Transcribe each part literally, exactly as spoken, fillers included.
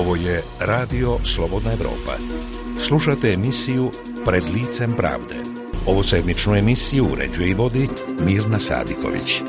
Ovo je Radio Slobodna Evropa. Slušate emisiju Pred licem pravde. Ovu sedmičnu emisiju uređuje i vodi Mirna Sadiković.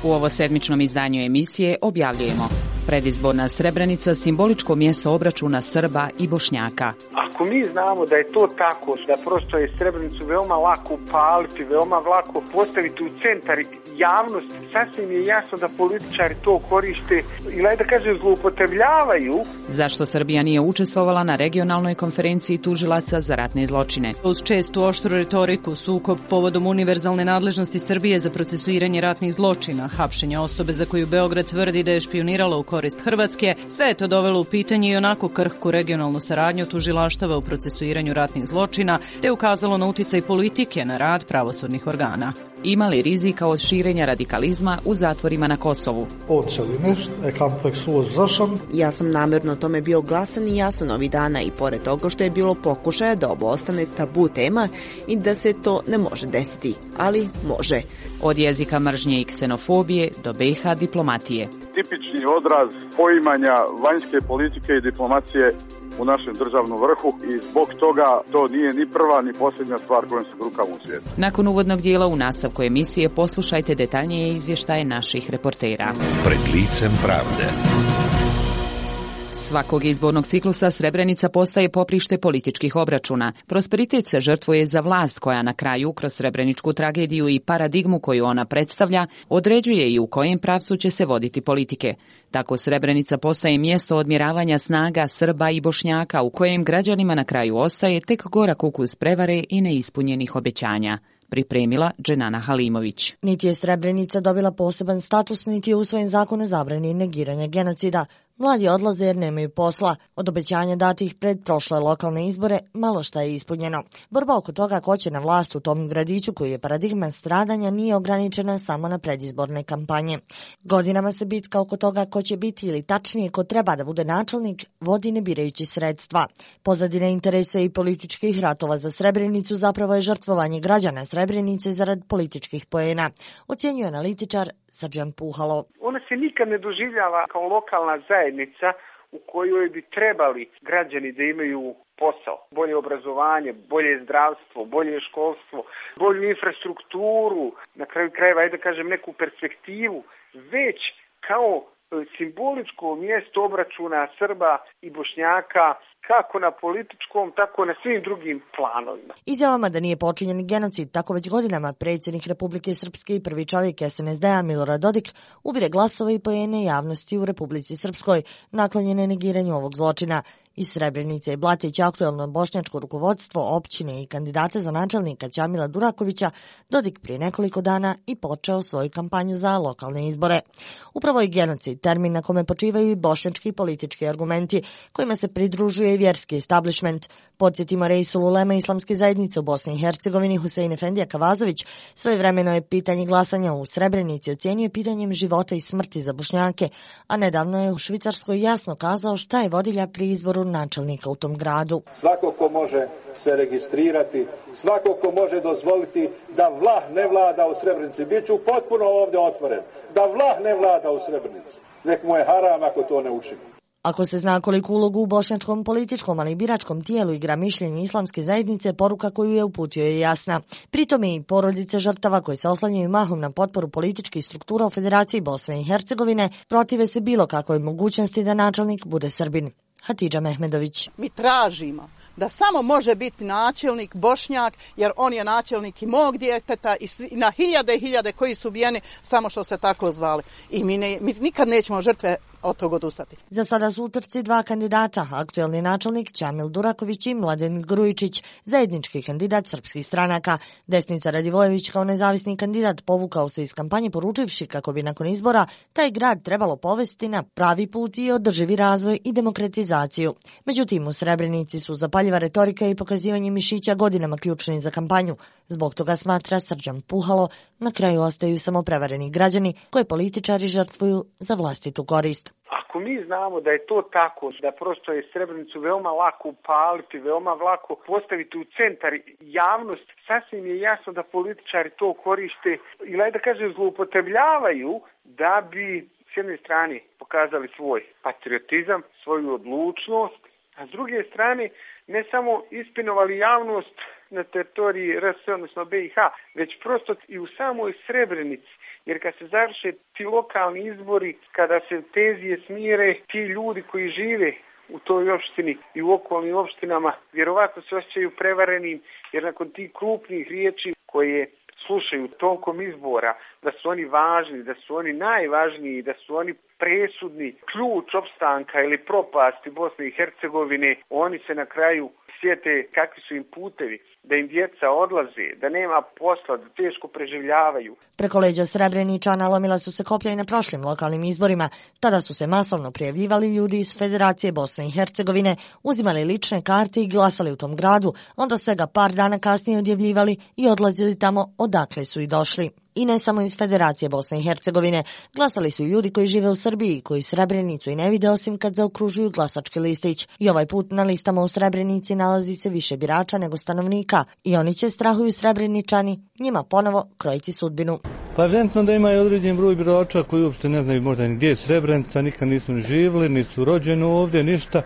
U ovo sedmičnom izdanju emisije objavljujemo: predizborna Srebrenica, simboličko mjesto obračuna Srba i Bošnjaka. Ako mi znamo da je to tako, da prosto je Srebrenicu veoma lako upaliti, veoma lako postaviti u centar javnosti, sasvim je jasno da političari to koriste ili, da kažem, zloupotrebljavaju. Zašto Srbija nije učestvovala na regionalnoj konferenciji tužilaca za ratne zločine? Uz čestu oštru retoriku, sukob povodom univerzalne nadležnosti Srbije za procesuiranje ratnih zločina, hapšenje osobe za koju Beograd tvrdi da je špionirala u korist Hrvatske, sve je to dovelo u pitanje i onako krhku regionalnu saradnju tužilaštava u procesuiranju ratnih zločina, te ukazalo na uticaj politike na rad pravosudnih organa. Ima li rizika od širenja radikalizma u zatvorima na Kosovu? Ja sam namjerno tome bio glasan i jasan ovih dana i pored toga što je bilo pokušaja da ovo ostane tabu tema i da se to ne može desiti, ali može. Od jezika mržnje i ksenofobije do B iH diplomatije. Tipični odraz poimanja vanjske politike i diplomacije u našem državnom vrhu i zbog toga to nije ni prva ni posljednja stvar kojom se brukamo u svijetu. Nakon uvodnog dijela u nastavku emisije poslušajte detaljnije izvještaje naših reportera. Pred licem pravde. Svakog izbornog ciklusa Srebrenica postaje poprište političkih obračuna. Prosperitet se žrtvuje za vlast koja na kraju, kroz srebreničku tragediju i paradigmu koju ona predstavlja, određuje i u kojem pravcu će se voditi politike. Tako Srebrenica postaje mjesto odmjeravanja snaga Srba i Bošnjaka u kojem građanima na kraju ostaje tek gorak ukus prevare i neispunjenih obećanja. Pripremila Dženana Halimović. Niti je Srebrenica dobila poseban status, niti je usvojen zakon o zabrani negiranja genocida. Mladi odlaze jer nemaju posla. Od obećanja datih pred prošle lokalne izbore malo šta je ispunjeno. Borba oko toga ko će na vlast u tom gradiću koji je paradigma stradanja nije ograničena samo na predizborne kampanje. Godinama se bitka oko toga ko će biti ili tačnije ko treba da bude načelnik vodi ne birajući sredstva. Pozadina interesa i političkih ratova za Srebrenicu zapravo je žrtvovanje građana Srebrenice zarad političkih poena, ocjenjuje analitičar Srđan Puhalo. Ona se nikad ne doživljava kao lokalna zajednica u kojoj bi trebali građani da imaju posao, bolje obrazovanje, bolje zdravstvo, bolje školstvo, bolju infrastrukturu, na kraju krajeva, ajde da kažem, neku perspektivu, već kao simboličko mjesto obračuna Srba i Bošnjaka, kako na političkom, tako na svim drugim planovima. Izjavama da nije počinjen genocid, tako već godinama predsjednik Republike Srpske i prvi čovjek es en es de a Milorad Dodik ubire glasove i poene javnosti u Republici Srpskoj, naklonjene negiranju ovog zločina. Iz Srebrenice i Blatić aktuelno bošnjačko rukovodstvo općine i kandidate za načelnika Ćamila Durakovića Dodik prije nekoliko dana i počeo svoju kampanju za lokalne izbore. Upravo je genocid termin na kome počivaju i bošnjački politički argumenti, kojima se pridružuje i vjerski establishment. Podsjetimo, Reisul Ulema islamske zajednice u Bosni i Hercegovini Husein Efendija Kavazović svojevremeno je pitanje glasanja u Srebrenici ocijenio pitanjem života i smrti za Bošnjake, a nedavno je u Švicarskoj jasno kazao šta je vodilja pri izboru načelnika u tom gradu. Svako ko može se registrirati, svako ko može dozvoliti da vlah ne vlada u Srebrenici, bit ću potpuno ovdje otvoren, da vlah ne vlada u Srebrenici, nek mu je haram ako to ne učini. Ako se zna koliku ulogu u bošnjačkom političkom, ali i biračkom tijelu igra mišljenje islamske zajednice, poruka koju je uputio je jasna. Pritom i porodice žrtava koji se oslanjaju mahom na potporu političkih struktura u Federaciji Bosne i Hercegovine protive se bilo kakvoj mogućnosti da načelnik bude Srbin. Hatidža Mehmedović. Mi tražimo da samo može biti načelnik Bošnjak, jer on je načelnik i mog djeteta i, svi, i na hiljade i hiljade koji su ubijeni samo što se tako zvali. I mi, ne, mi nikad nećemo žrtve od toga odustati. Za sada su u trci dva kandidata, aktuelni načelnik Ćamil Duraković i Mladen Grujičić, zajednički kandidat srpskih stranaka. Desnica Radivojević kao nezavisni kandidat povukao se iz kampanje poručivši kako bi nakon izbora taj grad trebalo povesti na pravi put i održivi razvoj i demokratizaciju. Međutim, u Srebrenici su zapaljiva retorika i pokazivanje mišića godinama ključni za kampanju. Zbog toga, smatra Srđan Puhalo, na kraju ostaju samo prevareni građani koje političari žrtvuju za vlastitu korist. Ako mi znamo da je to tako, da prosto je Srebrenicu veoma lako upaliti, veoma lako postaviti u centar javnosti, sasvim je jasno da političari to koriste ili, da kažem, zloupotrebljavaju da bi s jedne strane pokazali svoj patriotizam, svoju odlučnost, a s druge strane ne samo ispinovali javnost na teritoriji R S, odnosno B i H, već prosto i u samoj Srebrenici. Jer kad se završe ti lokalni izbori, kada se tenzije smire, ti ljudi koji žive u toj opštini i u okolnim opštinama vjerovatno se osjećaju prevarenim, jer nakon tih krupnih riječi koje slušaju tokom izbora, da su oni važni, da su oni najvažniji, da su oni presudni, ključ opstanka ili propasti Bosne i Hercegovine, oni se na kraju sjete kakvi su im putevi, da im djeca odlaze, da nema posla, da teško preživljavaju. Preko leđa Srebreničana lomila su se koplja i na prošlim lokalnim izborima. Tada su se masovno prijavljivali ljudi iz Federacije Bosne i Hercegovine, uzimali lične karte i glasali u tom gradu, onda se ga par dana kasnije odjavljivali i odlazili tamo odakle su i došli. I ne samo iz Federacije Bosne i Hercegovine, glasali su i ljudi koji žive u Srbiji, koji Srebrenicu i ne vide osim kad zaokružuju glasački listić. I ovaj put na listama u Srebrenici nalazi se više birača nego stanovnika. I oni će, strahuju Srebreničani, njima ponovo krojiti sudbinu. Pa evidentno da ima i određen broj birača koji uopšte ne znaju možda ni gdje je Srebrenica, nikad nisu ni živjeli, nisu rođeni ovdje, ništa.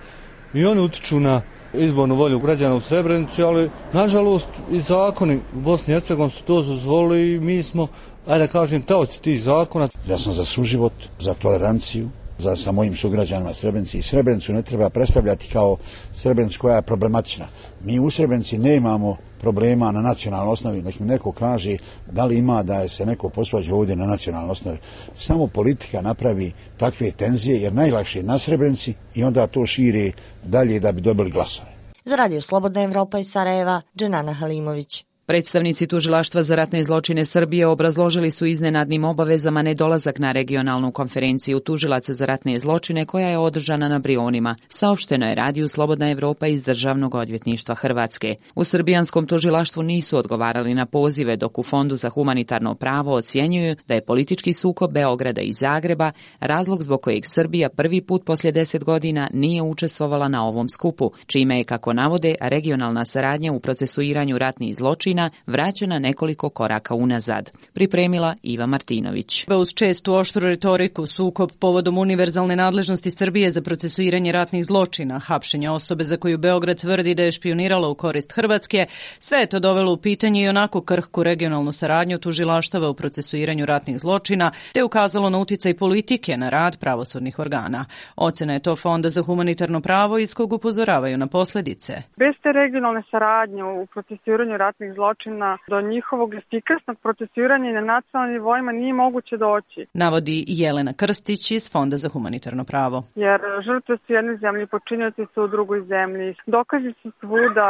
I oni utiču na izbornu volju građana u Srebrenici, ali nažalost i zakoni u Bosni i Hercegovini su to dozvolili i mi smo, ajde da kažem, taoci tih zakona. Ja sam za suživot, za toleranciju, za sa mojim sugrađanima Srebrenici. I Srebrenicu ne treba predstavljati kao Srebrenicu koja je problematična. Mi u Srebrenici nemamo problema na nacionalnoj osnovi, nek mi neko kaže da li ima da se neko posvađa ovdje na nacionalnoj osnovi. Samo politika napravi takve tenzije, jer najlakše je na Srebrenici i onda to širi dalje da bi dobili glasove. Za Radio Slobodna Evropa iz Sarajeva, Dženana Halimović. Predstavnici Tužilaštva za ratne zločine Srbije obrazložili su iznenadnim obavezama nedolazak na regionalnu konferenciju tužilaca za ratne zločine koja je održana na Brionima, saopšteno je Radiju Slobodna Evropa iz Državnog odvjetništva Hrvatske. U srbijanskom tužilaštvu nisu odgovarali na pozive, dok u Fondu za humanitarno pravo ocjenjuju da je politički sukob Beograda i Zagreba razlog zbog kojeg Srbija prvi put poslije deset godina nije učestvovala na ovom skupu, čime je, kako navode, regionalna saradnja u procesuiranju ratnih zločina vraćena nekoliko koraka unazad. Pripremila Iva Martinović. Uz čestu oštru retoriku, sukob povodom univerzalne nadležnosti Srbije za procesuiranje ratnih zločina, hapšenja osobe za koju Beograd tvrdi da je špionirala u korist Hrvatske, sve je to dovelo u pitanje i onako krhku regionalnu saradnju tužilaštava u procesuiranju ratnih zločina, te ukazalo na uticaj politike na rad pravosudnih organa. Ocena je to Fonda za humanitarno pravo iz kog upozoravaju na posljedice. Bez te regionalne saradnje u procesuiranju ratnih zločina zločina do njihovog efikasnog procesuiranja i na nacionalnim nivoima nije moguće doći. Navodi Jelena Krstić iz Fonda za humanitarno pravo. Jer žrtve su jedne zemlje, počinioci su u drugoj zemlji. Dokazi su svuda,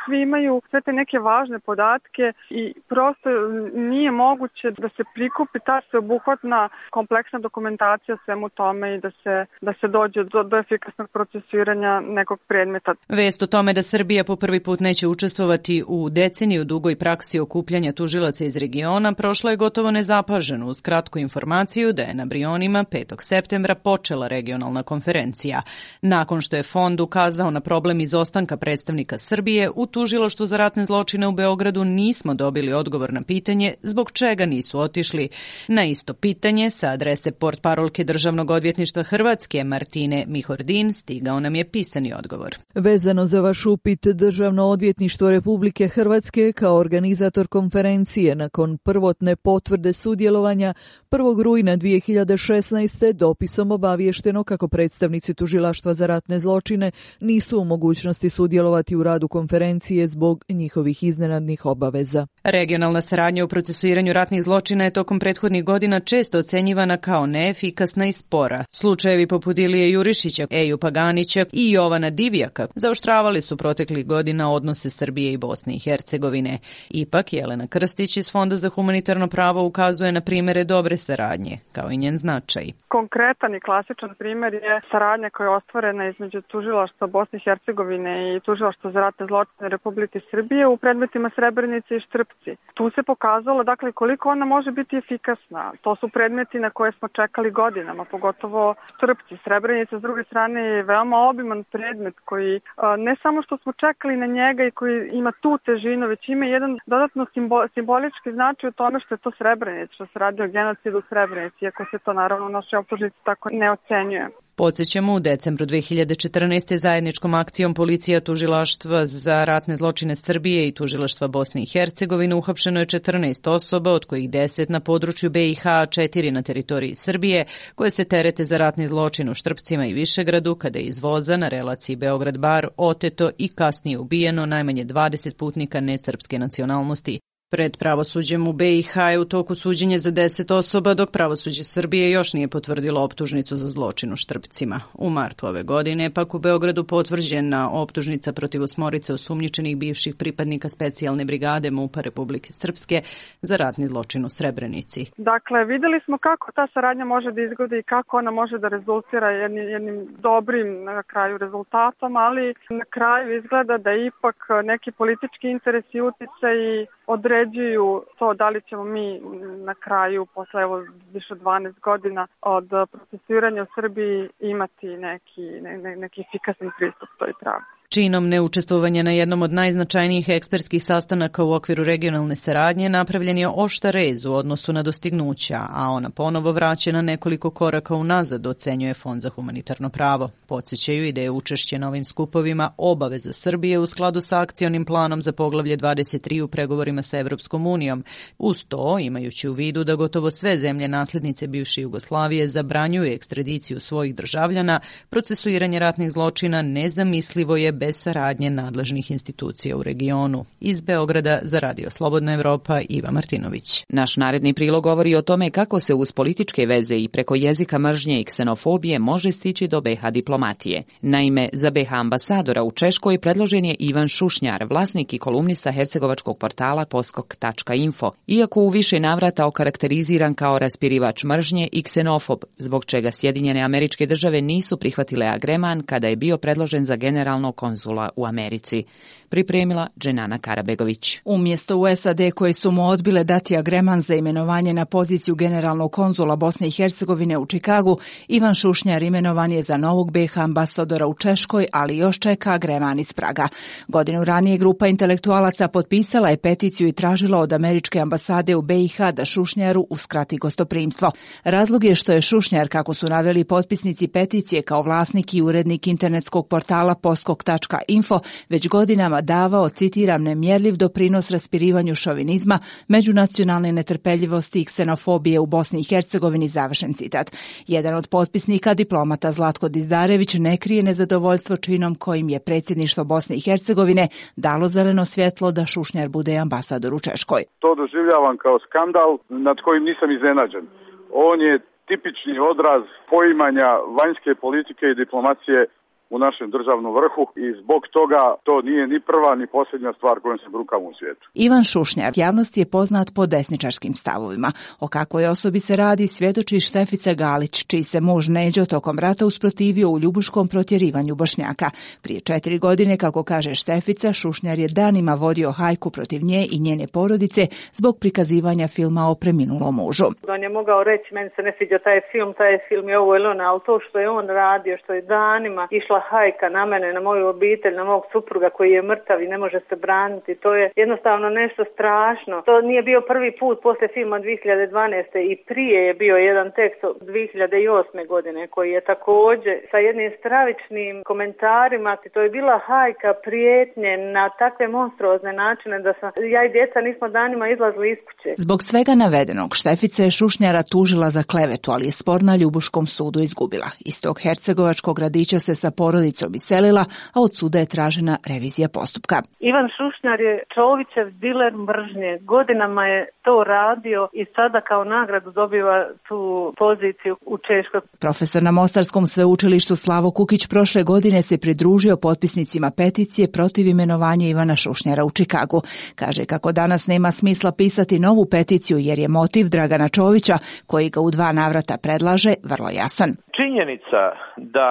svi imaju sve te neke važne podatke i prosto nije moguće da se prikupi ta sveobuhvatna kompleksna dokumentacija svemu tome i da se, da se dođe do, do efikasnog procesuiranja nekog predmeta. Vest o tome da Srbija po prvi put neće učestvovati u deceniju dugoj praksi okupljanja tužilaca iz regiona prošla je gotovo nezapaženo uz kratku informaciju da je na Brionima petog septembra počela regionalna konferencija. Nakon što je Fond ukazao na problem izostanka predstavnika Srbije, u Tužilaštvu za ratne zločine u Beogradu nismo dobili odgovor na pitanje zbog čega nisu otišli. Na isto pitanje sa adrese portparolke Državnog odvjetništva Hrvatske Martine Mihordin stigao nam je pisani odgovor. Vezano za vaš upit, Državno odvjetništvo Republike Hrvatske kao organizator konferencije nakon prvotne potvrde sudjelovanja prvog rujna dvije hiljade šesnaeste. dopisom obaviješteno kako predstavnici Tužilaštva za ratne zločine nisu u mogućnosti sudjelovati u radu konferencije zbog njihovih iznenadnih obaveza. Regionalna saradnja u procesuiranju ratnih zločina je tokom prethodnih godina često ocenjivana kao neefikasna i spora. Slučajevi poput Ilije Jurišića, Eju Paganića i Jovana Divjaka zaoštravali su proteklih godina odnose Srbije i Bosne i Hercegovine. Ipak, Jelena Krstić iz Fonda za humanitarno pravo ukazuje na primjere dobre saradnje, kao i njen značaj. Konkretan i klasičan primjer je saradnja koja je ostvarena između Tužilaštva Bosne i Hercegovine i Tužilaštva za ratne zločine Republike Srbije u predmetima Srebrenice i Štrpci. Tu se pokazalo, dakle, koliko ona može biti efikasna. To su predmeti na koje smo čekali godinama, pogotovo Štrpci. Srebrenica, s druge strane, je veoma obiman predmet koji ne samo što smo čekali na njega i koji ima tu težinu, već ima ima jedan dodatno simbo, simbolički značaj u tome što je to Srebrenica, što se radi o genocidu u Srebrenici, iako se to naravno u našoj optužnici tako ne ocenjuje. Podsjećamo, u decembru dve hiljade četrnaeste. zajedničkom akcijom policija, tužilaštva za ratne zločine Srbije i tužilaštva Bosne i Hercegovine uhapšeno je četrnaest osoba, od kojih deset na području B i H, a četiri na teritoriji Srbije, koje se terete za ratni zločin u Štrpcima i Višegradu, kada je iz voza na relaciji Beograd-Bar oteto i kasnije ubijeno najmanje dvadeset putnika nesrpske nacionalnosti. Pred pravosuđem u B i H je u toku suđenje za deset osoba, dok pravosuđe Srbije još nije potvrdilo optužnicu za zločin u Štrpcima. U martu ove godine pak u Beogradu potvrđena optužnica protiv osmorice osumnjičenih bivših pripadnika specijalne brigade MUP-a Republike Srpske za ratni zločin u Srebrenici. Dakle, vidjeli smo kako ta saradnja može da izgleda i kako ona može da rezultira jednim, jednim dobrim na kraju rezultatom, ali na kraju izgleda da ipak neki politički interes i uticaji određuju to da li ćemo mi na kraju, posle evo više od dvanaest godina od procesuiranja u Srbiji, imati neki, ne, neki efikasan pristup toj pravdi. Činom neučestvovanja na jednom od najznačajnijih ekspertskih sastanaka u okviru regionalne saradnje napravljen je oštar rez u odnosu na dostignuća, a ona ponovo vraćena nekoliko koraka unazad, ocenjuje Fond za humanitarno pravo. Podsjećaju i da je učešće na ovim skupovima obaveza Srbije u skladu sa akcionim planom za poglavlje dvadeset tri u pregovorima sa Evropskom unijom. Uz to, imajući u vidu da gotovo sve zemlje nasljednice bivše Jugoslavije zabranjuju ekstradiciju svojih državljana, procesuiranje ratnih zločina nezamislivo je bez saradnje nadležnih institucija u regionu. Iz Beograda za Radio Slobodna Evropa, Iva Martinović. Naš naredni prilog govori o tome kako se uz političke veze i preko jezika mržnje i ksenofobije može stići do B H diplomatije. Naime, za B H ambasadora u Češkoj predložen je Ivan Šušnjar, vlasnik i kolumnista hercegovačkog portala poskok tačka info, iako u više navrata okarakteriziran kao raspirivač mržnje i ksenofob, zbog čega Sjedinjene Američke Države nisu prihvatile agreman kada je bio predložen za generalnog konzula u Americi. Pripremila Dženana Karabegović. Umjesto u S A D koje su mu odbile dati agreman za imenovanje na poziciju generalnog konzula Bosne i Hercegovine u Čikagu, Ivan Šušnjar imenovan je za novog B H ambasadora u Češkoj, ali još čeka agreman iz Praga. Godinu ranije grupa intelektualaca potpisala je peticiju i tražila od američke ambasade u B i H da Šušnjaru uskrati gostoprimstvo. Razlog je što je Šušnjar, kako su naveli potpisnici peticije, kao vlasnik i urednik internetskog portala poskok tačka info, već godinama davao, citiram, nemjerljiv doprinos raspirivanju šovinizma, međunacionalne netrpeljivosti i ksenofobije u Bosni i Hercegovini, završen citat. Jedan od potpisnika, diplomata Zlatko Dizdarević, ne krije nezadovoljstvo činom kojim je predsjedništvo Bosne i Hercegovine dalo zeleno svjetlo da Šušnjar bude ambasador u Češkoj. To doživljavam kao skandal nad kojim nisam iznenađen. On je tipični odraz poimanja vanjske politike i diplomacije u našem državnom vrhu i zbog toga to nije ni prva ni posljednja stvar kojom se brukamo u svijetu. Ivan Šušnjar javnosti je poznat po desničarskim stavovima. O kakvoj osobi se radi svjedoči Štefica Galić, čiji se muž Neđo tokom rata usprotivio u ljubuškom protjerivanju Bošnjaka. Prije četiri godine, kako kaže Štefica, Šušnjar je danima vodio hajku protiv nje i njene porodice zbog prikazivanja filma o preminulom mužu. On je mogao reći, meni se ne sviđa taj film, taj film je ovo ili ono, ali to što je on radio, što je danima išla hajka na mene, na moju obitelj, na mog supruga koji je mrtav i ne može se braniti. To je jednostavno nešto strašno. To nije bio prvi put posle filma dvije hiljade dvanaeste. i prije je bio jedan tekst od dvije hiljade osme. godine koji je također sa jednim stravičnim komentarima. To je bila hajka, prijetnje na takve monstruozne načine da sam, ja i djeca nismo danima izlazili iz kuće. Zbog svega navedenog Štefica je Šušnjara tužila za klevetu, ali je spor na Ljubuškom sudu izgubila. Iz tog hercegovačkog gradića se sa porodicom iselila, a od suda je tražena revizija postupka. Ivan Šušnjar je Čovićev diler mržnje. Godinama je to radio i sada kao nagradu dobiva tu poziciju u Češkoj. Profesor na Mostarskom sveučilištu Slavo Kukić prošle godine se pridružio potpisnicima peticije protiv imenovanja Ivana Šušnjara u Čikagu. Kaže kako danas nema smisla pisati novu peticiju jer je motiv Dragana Čovića, koji ga u dva navrata predlaže, vrlo jasan. Činjenica da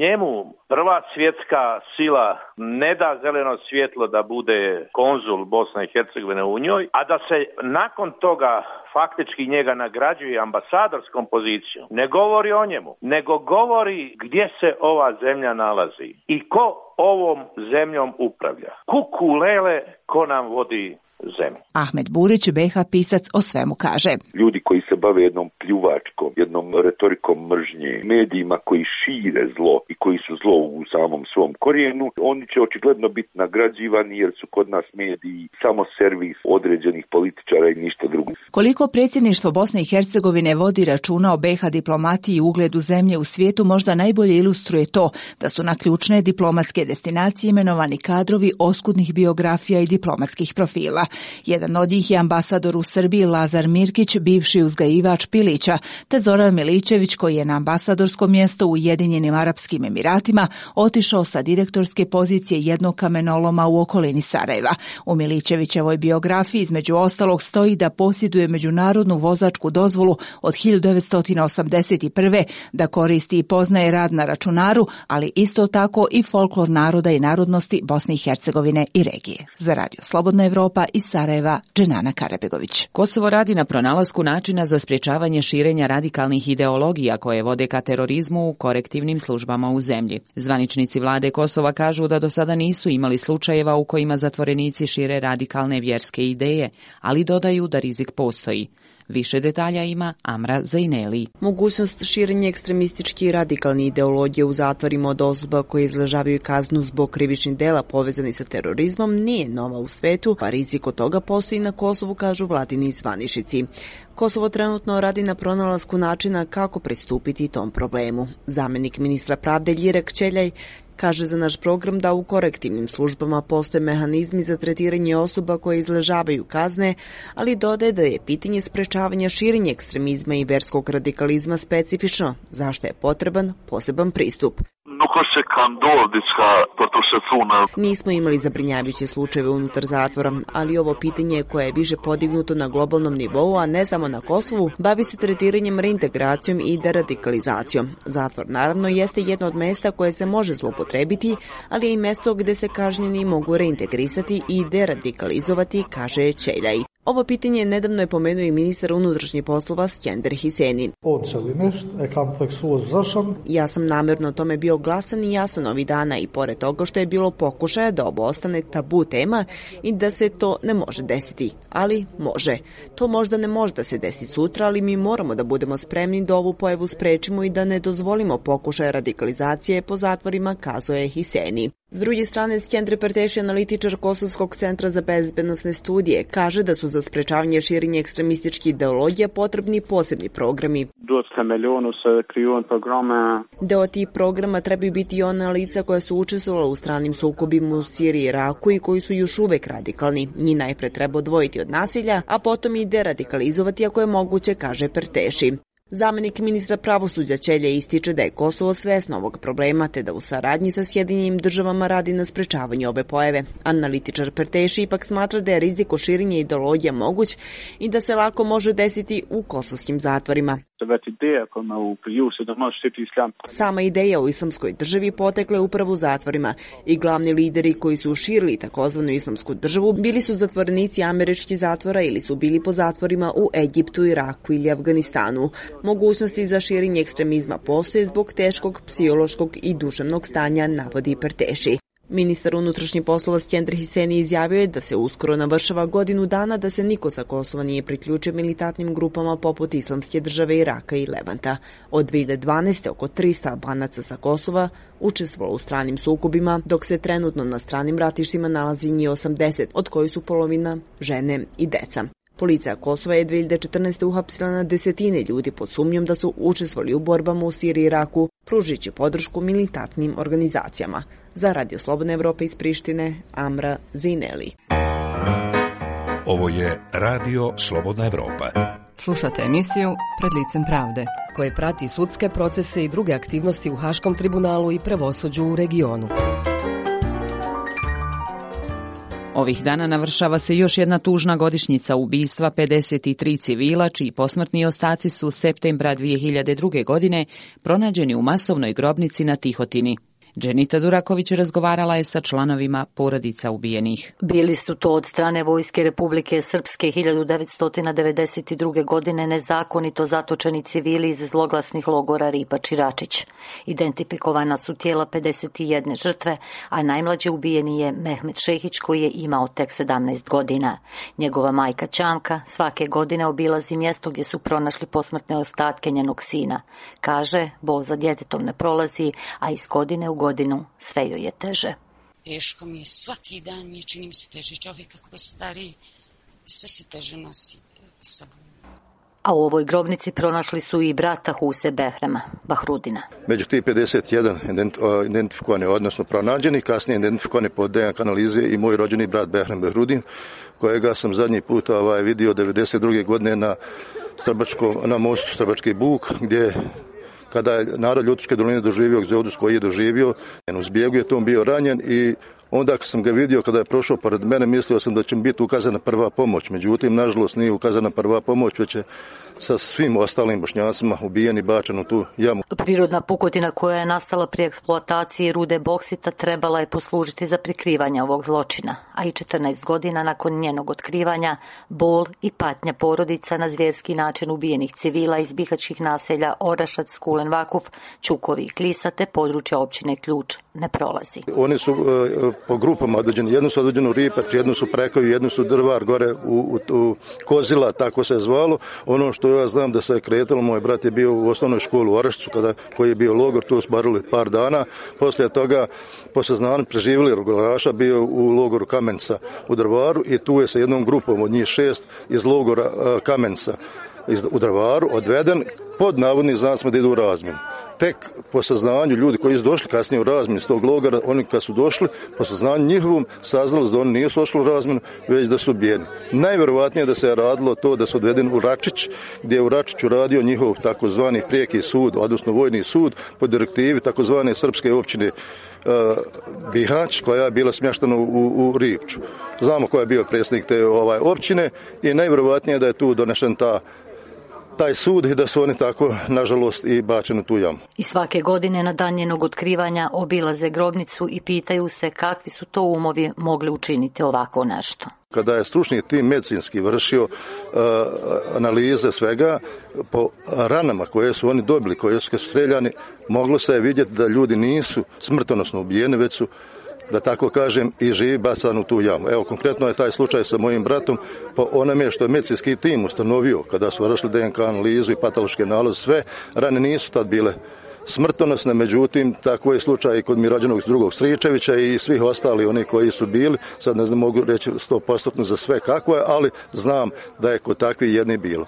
njemu prva svjetska sila ne da zeleno svjetlo da bude konzul Bosne i Hercegovine u njoj, a da se nakon toga faktički njega nagrađuje ambasadorskom pozicijom, ne govori o njemu, nego govori gdje se ova zemlja nalazi i ko ovom zemljom upravlja. Kuku lele ko nam vodi zemlji. Ahmed Burić, B H pisac, o svemu kaže. Ljudi koji se bave jednom pljuvačkom, jednom retorikom mržnje, medijima koji šire zlo i koji su zlo u samom svom korijenu, oni će očigledno biti nagrađivani jer su kod nas mediji samo servis određenih političara i ništa drugo. Koliko predsjedništvo Bosne i Hercegovine vodi računa o B H diplomatiji i ugledu zemlje u svijetu možda najbolje ilustruje to da su na ključne diplomatske destinacije imenovani kadrovi oskudnih biografija i diplomatskih profila. Jedan od njih je ambasador u Srbiji Lazar Mirkić, bivši uzgajivač pilića, te Zoran Milićević koji je na ambasadorsko mjesto u Ujedinjenim Arapskim Emiratima otišao sa direktorske pozicije jednog kamenoloma u okolini Sarajeva. U Milićevićevoj biografiji između ostalog stoji da posjeduje međunarodnu vozačku dozvolu od hiljadu devetsto osamdeset prve, da koristi i poznaje rad na računaru, ali isto tako i folklor naroda i narodnosti Bosne i Hercegovine i regije. Za Radio Slobodna Evropa iz Sarajeva, Dženana Karabegović. Kosovo radi na pronalasku načina za sprječavanje širenja radikalnih ideologija koje vode ka terorizmu u korektivnim službama u zemlji. Zvaničnici vlade Kosova kažu da do sada nisu imali slučajeva u kojima zatvorenici šire radikalne vjerske ideje, ali dodaju da rizik postoji. Više detalja ima Amra Zaineli. Mogućnost širenja ekstremističke i radikalne ideologije u zatvorima od osoba koje izležavaju kaznu zbog krivičnih dela povezani sa terorizmom nije nova u svetu, pa rizik od toga postoji na Kosovu, kažu vladini zvaničnici. Kosovo trenutno radi na pronalasku načina kako pristupiti tom problemu. Zamenik ministra pravde Ljirek Ćeljaj kaže za naš program da u korektivnim službama postoje mehanizmi za tretiranje osoba koje izležavaju kazne, ali dodaje da je pitanje sprečavanja širenja ekstremizma i verskog radikalizma specifično, zašto je potreban poseban pristup. Nismo imali zabrinjavajuće slučajeve unutar zatvora, ali ovo pitanje koje je više podignuto na globalnom nivou, a ne samo na Kosovu, bavi se tretiranjem, reintegracijom i deradikalizacijom. Zatvor naravno jeste jedno od mesta koje se može zloupotrebiti, ali je i mesto gde se kažnjeni mogu reintegrisati i deradikalizovati, kaže Ćeljaj. Ovo pitanje nedavno je pomenuo i ministar unutrašnjih poslova Skender Hiseni. Ja sam namjerno o tome bio glasan i jasan ovih dana i pored toga što je bilo pokušaja da ovo ostane tabu tema i da se to ne može desiti, ali može. To možda ne može da se desi sutra, ali mi moramo da budemo spremni da ovu pojavu sprečimo i da ne dozvolimo pokušaje radikalizacije po zatvorima, kazuje Hiseni. S druge strane, Skender Perteši, analitičar Kosovskog centra za bezbednosne studije, kaže da su za sprečavanje širenja ekstremističkih ideologija potrebni posebni programi. Deo tih programa trebaju biti i ona lica koja su učestvovala u stranim sukobima u Siriji i Iraku i koji su još uvek radikalni. Njih najpre treba odvojiti od nasilja, a potom i deradikalizovati ako je moguće, kaže Perteši. Zamenik ministra pravosuđa Ćelje ističe da je Kosovo svesno ovog problema, te da u saradnji sa Sjedinjenim državama radi na sprečavanju ove pojave. Analitičar Perteši ipak smatra da je rizik od širenja ideologija moguć i da se lako može desiti u kosovskim zatvorima. Sama ideja o islamskoj državi potekla je upravo u zatvorima i glavni lideri koji su širili takozvanu islamsku državu bili su zatvorenici američkih zatvora ili su bili po zatvorima u Egiptu, Iraku ili Afganistanu. Mogućnosti za širenje ekstremizma postoje zbog teškog psihološkog i duševnog stanja, navodi Perteši. Ministar unutrašnjih poslova Skender Hiseni izjavio je da se uskoro navršava godinu dana da se niko sa Kosova nije priključio militantnim grupama poput Islamske države, Iraka i Levanta. Od dve hiljade dvanaeste. oko trista Albanaca sa Kosova učestvovalo u stranim sukobima, dok se trenutno na stranim ratištima nalazi njih osamdeset, od kojih su polovina žene i deca. Policija Kosova je dve hiljade četrnaeste. uhapsila na desetine ljudi pod sumnjom da su učestvovali u borbama u Siriji i Iraku, pružujući podršku militantnim organizacijama. Za Radio Slobodna Evropa iz Prištine, Amra Zaineli. Ovo je Radio Slobodna Evropa. Slušate emisiju Pred licem pravde, koje prati sudske procese i druge aktivnosti u Haškom tribunalu i pravosuđu u regionu. Ovih dana navršava se još jedna tužna godišnjica ubistva pedeset tri civila, čiji posmrtni ostaci su septembra dve hiljade druge. godine pronađeni u masovnoj grobnici na Tihotini. Dženita Duraković razgovarala je sa članovima porodica ubijenih. Bili su to od strane Vojske Republike Srpske hiljadu devetsto devedeset druge. godine nezakonito zatočeni civili iz zloglasnih logora Ripač i Račić. Identifikovana su tijela pedeset jedne žrtve, a najmlađi ubijeni je Mehmet Šehić koji je imao tek sedamnaest godina. Njegova majka Čanka svake godine obilazi mjesto gdje su pronašli posmrtne ostatke njenog sina. Kaže, bol za djetetom ne prolazi, a iz godine u godinu sve joj je teže. Teško mi je, svaki dan mi je, čini mi se teže. Čovjek kako je stariji, sve se teže nosi sa sobom. A u ovoj grobnici pronašli su i brata Huse Behrema, Bahrudina. Među tih pedeset jedan identifikovani, odnosno pronađeni, kasnije identifikovani po D N K analize i moj rođeni brat Behrem Bahrudin, kojega sam zadnji put ovaj, vidio devedeset druge. godine na, na mostu Strbački Buk, gdje kada je narod Ljutočke doline doživio egzodus koji je doživio, u zbjegu je tom bio ranjen i onda kad sam ga vidio kada je prošao pored mene, mislio sam da će mi biti ukazana prva pomoć. Međutim, nažalost nije ukazana prva pomoć, već je sa svim ostalim Bošnjacima ubijen i bačen u tu jamu. Prirodna pukotina koja je nastala pri eksploataciji rude boksita trebala je poslužiti za prikrivanje ovog zločina, a i četrnaest godina nakon njenog otkrivanja, bol i patnja porodica na zvjerski način ubijenih civila iz bihačkih naselja Orašac, Kulen Vakuf, Čukovi i Klisa te područja općine Ključ ne prolazi. Oni su uh, po grupama određeni, jednu su određeni u Ripač, jednu su Prekovi, jednu su Drvar, gore u, u, u Kozila, tako se je zvalo. Ono što ja znam da se je kretalo, moj brat je bio u osnovnoj školi u Orašcu, kada, koji je bio logor, tu su barili par dana. Poslije toga, po saznanju preživjeli logororaša, bio u logoru Kamenca u Drvaru i tu je sa jednom grupom od njih šest iz logora uh, Kamenca iz, u Drvaru odveden pod navodnim znacima da idu u razmjenu. Tek po saznanju ljudi koji su došli kasnije u razmjenu iz tog logora, oni kad su došli, po saznanju njihovom saznali da oni nisu došli u razmjenu, već da su ubijeni. Najvjerovatnije da se je radilo to da su odvedeni u Račić, gdje je u Račiću radio njihov takozvani prijeki sud, odnosno vojni sud, po direktivi takozvane srpske općine uh, Bihać, koja je bila smještena u, u Ripču. Znamo ko je bio predsjednik te ovaj, općine i najvjerovatnije da je tu donešen ta taj sud i da su oni tako, nažalost, i bačeni u tu jamu. I svake godine na dan njenog otkrivanja obilaze grobnicu i pitaju se kakvi su to umovi mogli učiniti ovako nešto. Kada je stručni tim medicinski vršio uh, analize svega, po ranama koje su oni dobili, koje su streljani, moglo se je vidjeti da ljudi nisu smrtonosno ubijeni, već su, da tako kažem, i živi bacan u tu jamu. Evo, konkretno je taj slučaj sa mojim bratom, po onome što je medicinski tim ustanovio, kada su vršili D N K analizu i patološke nalaze, sve rane nisu tad bile smrtonosne, međutim, tako je slučaj i kod mi rođenog drugog Stričevića i svih ostali oni koji su bili, sad ne znam, mogu reći sto posto za sve kako je, ali znam da je kod takvih jedni bilo.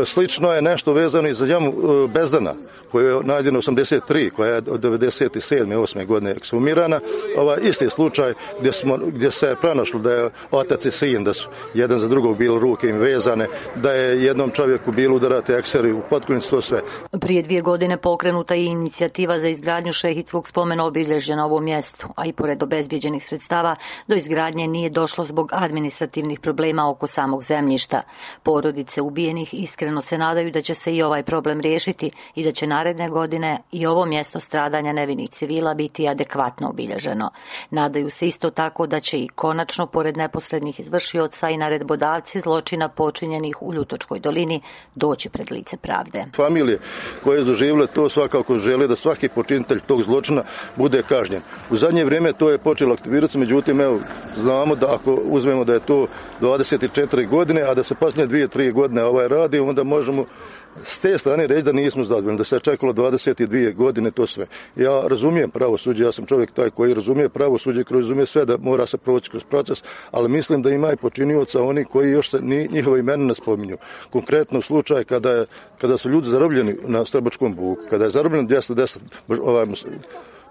Slično je nešto vezano i za jamu Bezdana, koja je nađena osamdeset tri, koja je od devedeset sedme osme godine ekshumirana. Ovaj isti slučaj gdje, smo, gdje se je pronašlo da je otac i sin, da su jedan za drugog bili ruke im vezane, da je jednom čovjeku bilo udarati ekseri u potkonjicu, to sve. Prije dvije godine pokrenuta je inicijativa za izgradnju šehidskog spomena obilježja na ovom mjestu, a i pored obezbijeđenih sredstava do izgradnje nije došlo zbog administrativnih problema oko samog zemljišta. Porodice ubijenih iskreno se nadaju da će se i ovaj problem riješiti i da će naredne godine i ovo mjesto stradanja nevinih civila biti adekvatno obilježeno. Nadaju se isto tako da će i konačno, pored neposrednih izvršioca i naredbodavci zločina počinjenih u Ljutočkoj dolini, doći pred lice pravde. Familije koje su doživjele to svakako žele da svaki počinitelj tog zločina bude kažnjen. U zadnje vrijeme to je počelo aktivirati, međutim, evo, znamo da ako uzmemo da je to dvadeset četiri godine, a da se posljednje dvije tri godine ovaj radi, onda možemo s te strane reći da nismo zadovoljni, da se je čekalo dvadeset dvije godine to sve. Ja razumijem pravosuđe, ja sam čovjek taj koji razumije pravosuđe, koji razumije sve da mora se proći kroz proces, ali mislim da ima i počinioca oni koji još se ni, njihova imena ne spominju. Konkretno slučaj kada, je, kada su ljudi zarobljeni na Strbačkom Buku, kada je zarobljeno dvjesto deset ovaj,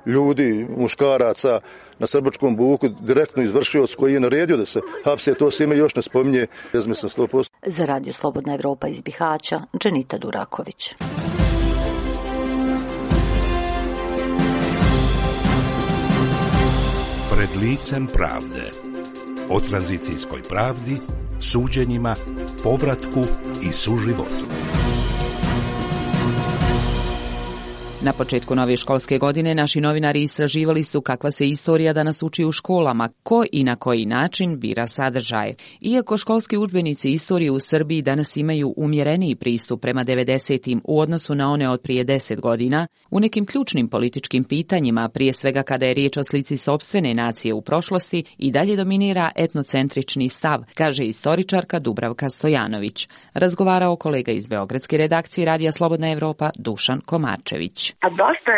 ljudi, muškaraca na Strbačkom Buku, direktno izvršioc koji je naredio da se hapse, to se ime još ne spominje. Mislim sto posto. Za Radio Slobodna Evropa iz Bihaća, Dženita Duraković. Pred licem pravde. O tranzicijskoj pravdi, suđenjima, povratku i suživotu. Na početku nove školske godine naši novinari istraživali su kakva se istorija danas uči u školama, ko i na koji način bira sadržaje. Iako školski udžbenici istorije u Srbiji danas imaju umjereniji pristup prema devedesetim u odnosu na one od prije deset godina, u nekim ključnim političkim pitanjima, prije svega kada je riječ o slici sopstvene nacije u prošlosti, i dalje dominira etnocentrični stav, kaže istoričarka Dubravka Stojanović. Razgovarao kolega iz beogradske redakcije Radija Slobodna Evropa Dušan Komarčević. A dosta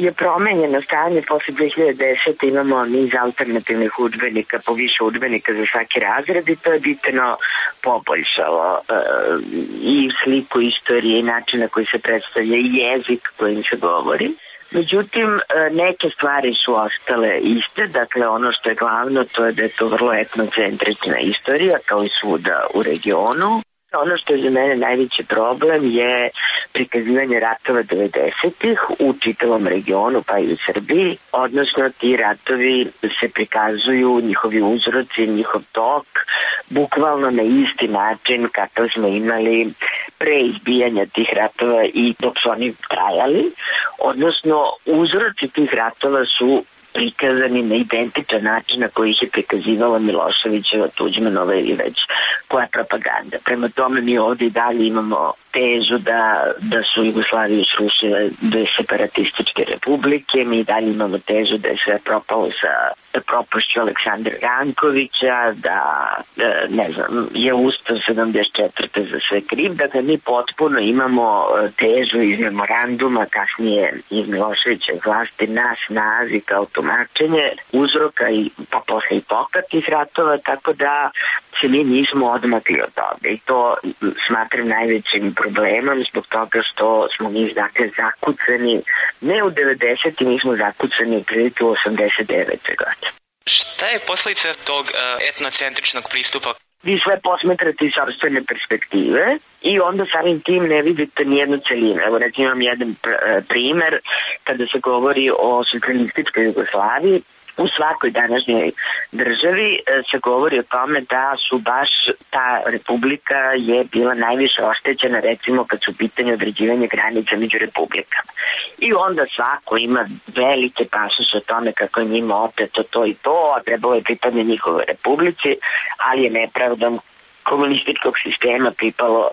je promenjeno stanje posle dve hiljade desete. Imamo niz alternativnih udžbenika, po više udžbenika za svaki razred i to je bitno poboljšalo e, i sliku istorije i načina koji se predstavlja i jezik kojim se govori. Međutim, neke stvari su ostale iste, dakle ono što je glavno to je da je to vrlo etnocentrična istorija kao i svuda u regionu. Ono što je za mene najveći problem je prikazivanje ratova devedesetih u čitavom regionu pa i u Srbiji, odnosno ti ratovi se prikazuju, njihovi uzroci, njihov tok, bukvalno na isti način kakav smo imali pre izbijanja tih ratova i dok su oni trajali, odnosno uzroci tih ratova su prikazani na identičan način na koji ih je prikazivala Miloševićeva, Tuđmanova ili već koja propaganda. Prema tome mi ovdje i dalje imamo tezu da, da su Jugoslaviju srušile dve separatističke republike, mi i dalje imamo tezu da je sve propalo sa propašću Aleksandra Rankovića, da ne znam, je Ustav sedamdeset četvrte za sve kriv, dakle mi potpuno imamo tezu iz memoranduma, kasnije iz Miloševićeve vlasti na snazi kao tumačenje uzroka i pa posle i toka tih ratova, tako da se mi nismo odmakli od toga i to smatram najvećim problemom zbog toga što smo mi dakle zakucani, ne u devedesetim, mi smo zakucani u prilike u osamdeset devete godine. Šta je posljedica tog uh, etnocentričnog pristupa? Vi sve posmetrate iz sopstvene perspektive i onda samim tim ne vidite nijednu celinu. Evo recimo imam jedan pr- primer kada se govori o socijalističkoj Jugoslaviji. U svakoj današnjoj državi se govori o tome da su baš ta republika je bila najviše oštećena recimo kad su u pitanju određivanje granica među republikama. I onda svako ima velike pasus o tome kako je njima oteto to i to, a trebalo je pripadne njihove republici, ali je nepravdom komunističkog sistema pripalo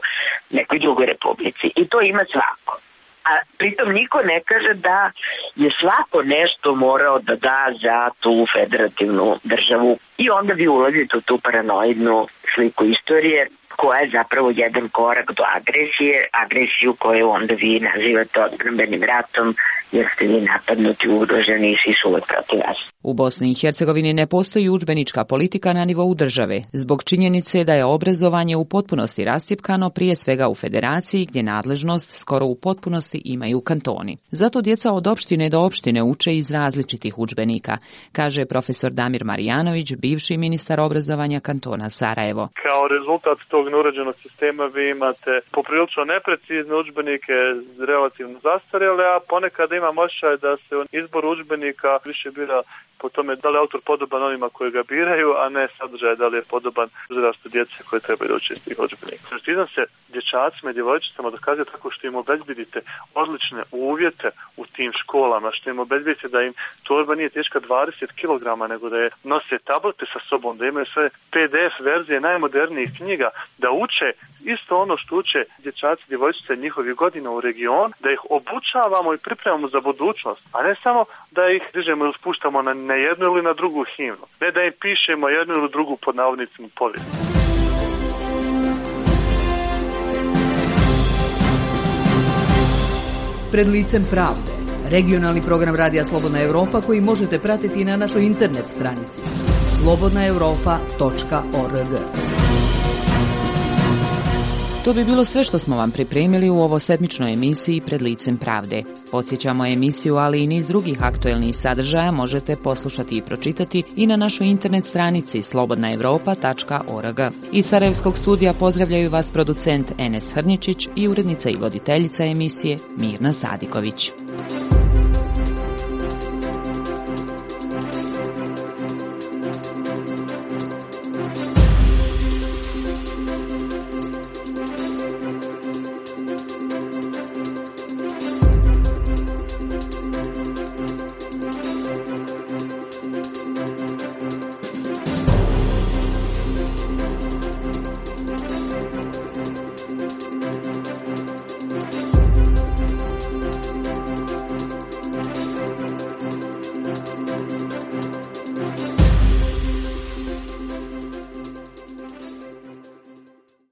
nekoj drugoj republici. I to ima svako. A pritom niko ne kaže da je svako nešto morao da da za tu federativnu državu i onda vi ulazite u tu paranoidnu sliku istorije koja je zapravo jedan korak do agresije, agresiju koju onda vi nazivate odbrambenim ratom jer ste vi napadnuti, ugroženi i svi su uvek protiv vas. U Bosni i Hercegovini ne postoji udžbenička politika na nivou države, zbog činjenice da je obrazovanje u potpunosti rascjepkano prije svega u federaciji gdje nadležnost skoro u potpunosti imaju kantoni. Zato djeca od opštine do opštine uče iz različitih udžbenika, kaže profesor Damir Marijanović, bivši ministar obrazovanja kantona Sarajevo. Kao rezultat tog neuređenog sistema vi imate poprilično neprecizne udžbenike, relativno zastarjele, a ponekad imam osjećaj da se izbor udžbenika više bira po tome da li je autor podoban onima koji ga biraju, a ne sadržaj da li je podoban uzrastu djece koje treba da uče iz tih udžbenika. Precizam se dječacima i djevojčicama dokazuje tako što im obezbedite odlične uvjete u tim školama, što im obezbedite da im torba nije teška dvadeset kilograma, nego da je nose tablete sa sobom, da imaju sve P D F verzije najmodernijih knjiga, da uče isto ono što uče dječaci i djevojčice njihovih godina u region, da ih obučavamo i pripremamo za budućnost, a ne samo da ih dižemo ili spuštamo na na jednu ili na drugu himnu. Ne da im pišemo jednu ili drugu pod navodnicima povijest. Pred licem pravde. Regionalni program Radija Slobodna Evropa koji možete pratiti i na našoj internet stranici slobodna europa tačka org. To bi bilo sve što smo vam pripremili u ovo sedmičnoj emisiji Pred licem pravde. Podsjećamo emisiju, ali i niz drugih aktuelnih sadržaja možete poslušati i pročitati i na našoj internet stranici slobodna europa tačka org. Iz Sarajevskog studija pozdravljaju vas producent Enes Hrničić i urednica i voditeljica emisije Mirna Sadiković.